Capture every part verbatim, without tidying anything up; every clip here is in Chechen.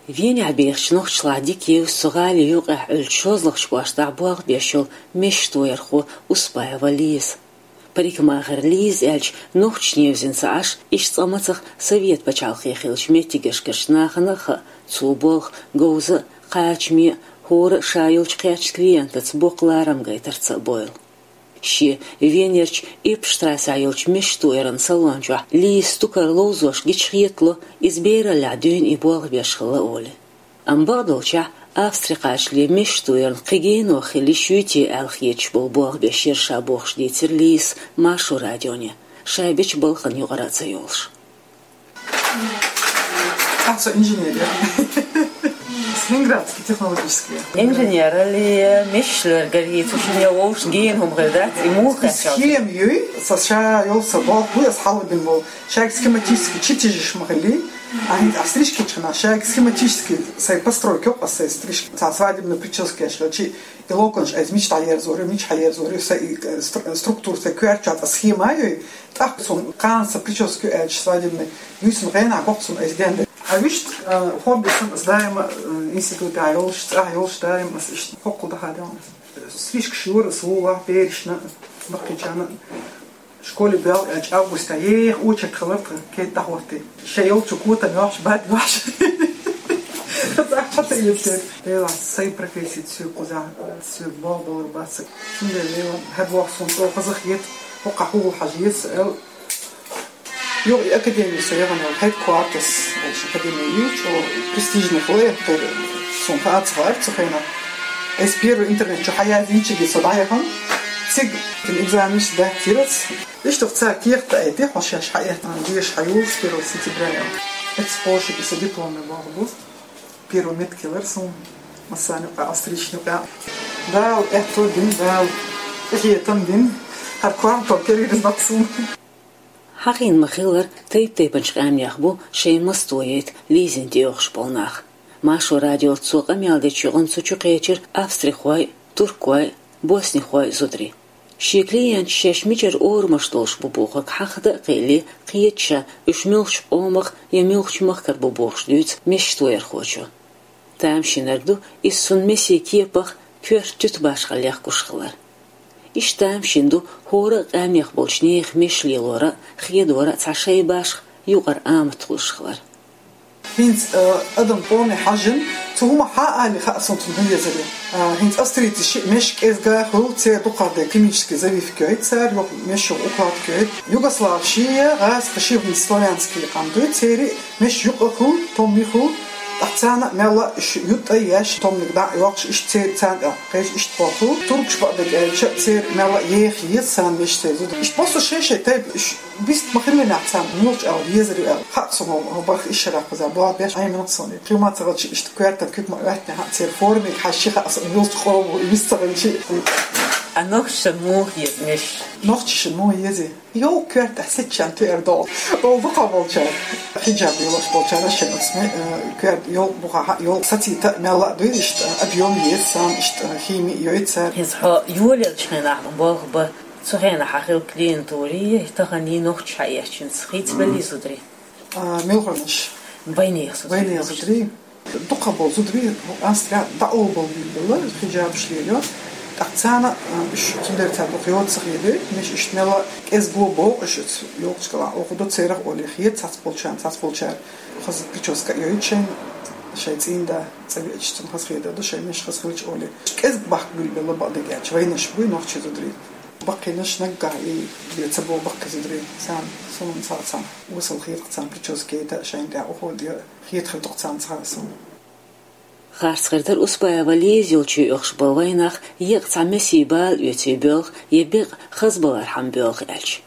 Венехь бехачу нохчашлахь дика евза цу гӀали юкъехь Ӏуьллучу шозлагӀчу кӀоштахь болх беш йолу мешан тоярхо Успаева Лиза. Парикмахер Лиза аьлча, нохчашна евзина ца Ӏаш, иштта цкъа мацах Совет пачхьалкхе хиллачу меттигашкарчу нахана а хаьа, цо болх говза а, кхачаме а, хӀора а ша йолчу кхечу клиентаца боккха ларам гайтарца а бойла. Шен Венерчу Иппштрассехь йолчу мешан тояран салон чохь Лиза стукар ловзош гича хетало, иза бераллехь дуьйна и болх беш хилла олий. Амма бакъдолчехь, Австри кхачале мешан тоярна кхин генох хила йиш юй те аьлла хеташ болу болх беш яра ша бохуш дийцира Лизас Маршо радионе, ша бечу балхана юкъара а ца йолуш. Ахьа со инженер я. С Ленинградский технологический. Инженералле, мешаш лоьргара йийцу шине вовшашна гена хӀума хир дац, и муха кхачалц? Схема юй, со ша йолу со болх бу, аса хьалабина болу. Шайга схематически чертежаш ма хилли, а хӀинца а стрижки чхьана, шайга схематически сайн постройка йоккха сайн стрижки. Цхьа свадебный прическа еш хилчи, и локонаш айса мича дӀаерзор ю, мича хьаерзор ю, сайн и, э, стру-, структура сайн коьртачохь цхьа схема а юй, тӀаккха цунна кхана сан прическа ю аьлча свадебный, юй цунна гӀенахь боккха цунна айса денда. А вуьшта, э, хобби сан аса даима, э, институтехь йолуш, цӀахь йолуш даима аса иштта хӀоккхул даха делла. Стрижкаш йора аса вула, берашна, баккхийчарна. Школе боьлла аьлча августа еха очередь хилар тхан, кеда дӀахӀоттий. Шайн йолчу котам йохьуш, бад йохьуш. Цхьа ца йоьттура. Делахь, сайн профессица соьга кхузахь, соьга болх балар бац. Цундела Лела, хӀара боху суна чӀогӀа хаза хета, хӀокхахь хӀугул хьажа еза аьлла. Юха и академи со яхана йолу Headquarters, аьлча академи ю, чӀогӀа престижный хилла, я кхера, суна хаа ца хаьара цу хенахь. Айса первый интернет чу хьаяздинчигге со дӀаяхана. Цига экзаменаш даттийра аса. Иштта цара кехат айти, хьо шаьш хьаэттина, деша хьаюллуш первого сентября. Эццахь кхошиг и сан дипломный болх бу. Первый метка хилар суна массарна юкъахь, австрийчарна юкъахь. Дала аьтто дина, Дала къинхетам дина. ХӀара квартал кхерира бакъ суна. Хьахийна ма-хиллара, тайп-тайпанчу къаьмнех бу шайн мас тояйта Лизина тӀеоьхуш болу нах. Маршо радиоца цо къамел дечу юкъана цу чу кхечира австрихой а, туркой а, боснихой а зударий. Шен клиенташ шаьш мичара орамаш долуш бу бохург хьахада а кхиале, кхета ша уьш муьлхачу къомах я муьлхачу махкара бу бохуш дуьйцу мешан тоярхочо. Тамашийнарг ду иза цунна месийн кепах, коьрта туьту башхаллех гуш хилар. Иштта тамашийна ду хӀора а къаьмнех болчу нехан мешан лелоран а, хедоран а цхьа шайн башха юкъара амат хуьлуш хилар. ХӀинца, э, адам къоме хьажжина, цу хӀума хьа а али хаьа суна цунна хӀун езар ю. Э, хӀинца австрийцаша мешан кӀезга хуьлу, церан дукхах де химический завивка йойту цара, юха мешан укладка йойту. Югославаш я, гӀазкхаш я, хӀинца славянский къам ду, церан мешан юкъа хуьлу, томми хуьлу, тӀаккха царна а мелла а уьш ютӀа а еш, томниг дӀа а йоккхуш, иштта церан царна тӀе кхеча иштта боху. Туркаш бакъдерг аьлча, церан мелла а еха еза царна мешан церан зуда. Иштта массо шай-шай тайпа уьш бист ма-хиллинехь царна муьлхачу аьлла езар ю аьлла. Хаьа суна хӀо барх ишшарах кхуза боху беш Ӏемина суна. Кхин ма ца хилча, иштта коьртан куьг ма оьттинехь, церан формиг хьаьжчи хаьа суна, муьлхачу къомо вист ца хилчи. А нохчашна муха еза мешаш? Нохчашна муха еза? Йолу коьртехь сецчарна туьар долу. Олу дукха болчара. Хиджаб йолуш болчара шен асме, э, коьрта йолу бухахьа йолу сацита а мелла а дуьйра иштта, объём еза царна иштта, хими а йойту цара. ХӀинца хьо йолаелчу хенахь болх бан, цу хенахь хьан хилла клиентури, тахана нохчаш хьаэцчинца хийцабеллий зударий? А, муьлханаш? Вайнех зударий. Вайнех зударий. Дукха болу зударий, Австрия дӀаолабелла хиджабаш лелайо. ТӀаккха царна, а, уьш цундела цара дукха йоцу ца хедойту, мешан иштта мелла кӀезиг боху уьш, йолчу кӀалахь оха до церах олий хета цхьацца болчарна, цхьацца болчара хаза прическа а йойту шайна, шайн цӀийнда цӀа веача цунна хаза хедадо, шайн мешан хаза хилча олий. КӀезиг бахка билбелла бакъдерг аьлча, вайнаш буй нохчий зударий. Баккхийнаш наггахь и бен ца бо баккхий зударий, царна, суна цхьа цхьана осал хета царна прическа яйта а шайна тӀехь ухула де. Хетахь дукха царна ца хаьа суна. Харцхьардара Успаева Лиза йолчу оьхуш бан вайнах еккъа цхьа месийн бала оьций боьлху я бекъа хазбалархьама боьлху аьлча.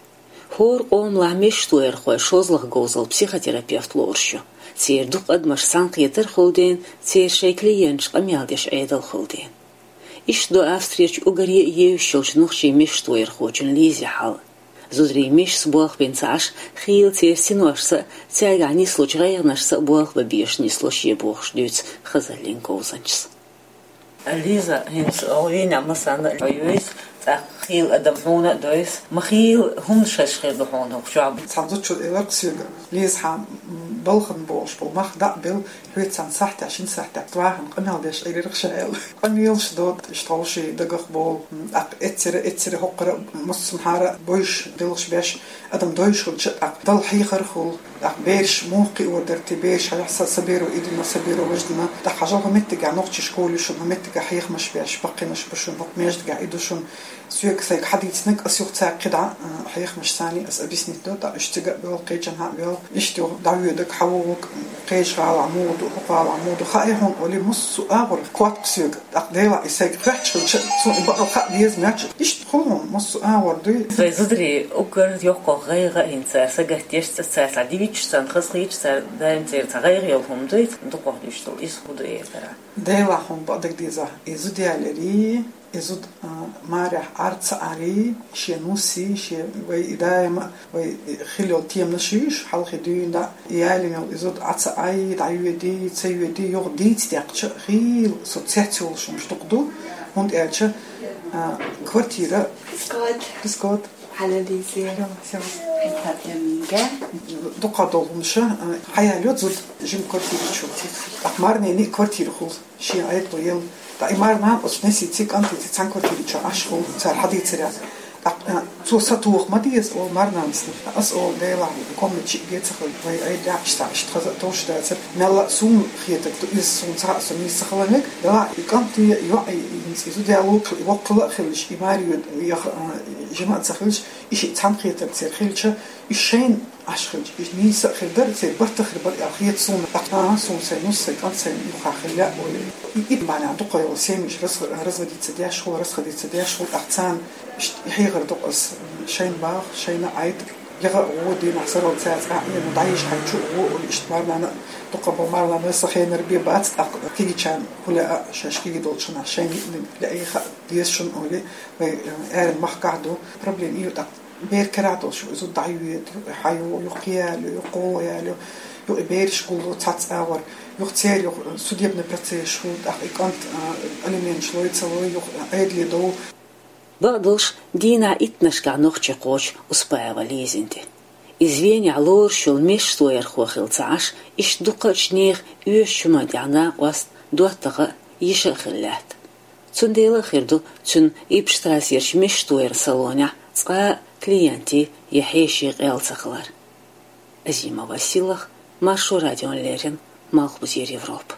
ХӀора къомалахь мешан тоярхой шозлагӀа говзал психотерапевт лоруш ю. Церан дукха адамаш цхьаьнакхетар хуьлу ден, церан шайн клиенташ къамел деш Ӏедал хуьлу ден. Иштта ду Австрерчу уггаре а евзаш йолчу нохчийн мешан тоярхочун Лизин хьал. Зударий мешаца болх бина ца Ӏаш, хийла церан синошца а, цаьргахь нислучу гӀайгӀанашца а болх бан безаш нисло шен бохуш дуьйцу хазаллин говзанчас. Лиза, хӀинца хьо вийна массарна а хьо юьйцу, ТӀаккха хийла адам хьуна а дойс, ма хийла хӀумнаш хир ду хьуна хӀокху чохь. Цхьана зудчо элира-кх соьга: «Лиза, хьан балхана болуш болу мах дӀа а белла, хьоьца цхьана сахьтехь, шина сахьтехь вахана къамел деш Ӏийрира-кх ша», — аьлла. Къамелаш до, иштта хьовший дагах болу, тӀаккха эццара, эццара хӀокхара массанхьара бойуш, делхаш беш, адам дойуш хилча, тӀаккха Далла хьехар хуьлу, тӀаккха бераш муха кхиор дара те, бераш хьажахь, са, са беро и дина, са беро важа дина, тӀаккха хьажал хӀокху меттигехь нохчийн школаш ю шуна, хӀокху меттигехь хьехамаш беш, баккхийнаш бу шуна, хӀокху маьждигехь и ду шуна. Соьга сайга хьадийцинарг ас юха цаьрга кхидӀа, а, хьехамаш санна ас объяснить до, тӀаккха уьш цига а боьлху, кхечанхьа а боьлху, иштта юха дӀавоьдург хьан вогӀург, кхечу гӀалахь муха ду, хӀокху гӀалахь муха ду, хаьа хьуна олий, массо а агӀор котта соьга. ТӀаккха Делахь и сайга хоьттуш хилча, суна и бакъ хаа деза моьттуш, иштта хуьлу хьуна массо а агӀор дуй. Вайн зударий уггар йоккха гӀайгӀа а йина цара сагатдеш, цаьрца дӀадийцича, царна хазахеташ, цара даим церан цхьа гӀайгӀа йолу хӀума дуй, дукхах дуьйцуш долу, иза хӀун ду, эцара. Делахь хьуна бакъдерг деза, и зуда яларе, и зуда, а, марехь Ӏар ца Ӏаре, шен нуси, шен вай и даима, вай хила йолу теманаш ю уьш, хьалхе дуьйна дӀа, и ялийна йолу и зуда Ӏа ца Ӏай, дӀайоьдий, ца йоьдий, юха дийца деккхача, хийла со цец йолуш хӀумаш дукха ду, хӀунда аьлча, а, квартира. Кискот. Кискот. Хьала дийзе. Хьала, всё. Хьала тӀеминга. Дукха долу хӀумаш, а, хьаялайо зуда жима квартира чу. ТӀаккха марнене а квартира хуьлу. Шен Ӏедало елла. ТӀаккха и марнана оцу несица, кӀантица цхьана квартира чу Ӏаш хуьлу, цара хьадийцарехь. ТӀаккха, а, цо сатоха ма деза, олу марнанас. Ас олу, Делахь, комнаташ а геца хуьлу, вай Ӏедалехь иштта, иштта хаза а товш дацара. Мелла а суна хетарг ду, иза суна цхьа а со нийса ца хала мега. Делахь, и кӀанте йоӀ, и, и, и зуда яло, и воккхала а хилча, и маре йоьду, яха, а, жима а ца хилча, и шиъ цхьаьна хетарг церан хилча, и шайна Ӏаш хилча, и нийса а хир дара, церан барт а хир бара аьлла хета суна. ТӀаккха, а, суна сайн нус, сайн кӀант, сайн юххехь хила лаьа олий. И, и марнана дукха йолу семьяш раз-, разводиться деш хуьлу, расходиться деш хуьлу, тӀаккха царна иштта хьехар ду-кх ас, шайна баха, шайна Ӏайта, яха а гӀо, дийнахь сарал цаьрца а Ӏийна, дӀаеза хьайн чу а гӀо олий, иштта марнана, дукха болу марнана сан хенара бен бац, тӀаккха кегийчарна хӀун лаьа, шаьш кегий долчу хенахь шайна йиъниг лаьий хаа деза шуна олий, вай, э, аьрру махкахь ду, проблема и ю тӀаккха. Бер карахь долуш ю, иза дӀайоьду, хьайо, юха кхияло, юха кхо яло, юха и бераш гулло цхьацца агӀор, юха церан юха судебный процессаш хуьлу, тӀаккха и кӀант, а, алименташ лой, ца лой, юха Ӏедале довла. Бакъдолуш, дийнахь иттаннашкахь нохчи кхочу Успаева Лизина тӀе. Иза Венехь лоруш йолу мешан тоярхо хилла ца Ӏаш, иштта дукхачу нехан оьшучу хӀуманна тӀехь накъост, доттагӀа а, йиша а хилла лаьтта. Цундела а хир ду цуьнан Иппштрассерчу мешан тояран салонехь цкъа а клиентийн я хьешийн къел ца хилар. Азима Василах, Маршо радиона леррина, Малхбузера Европа.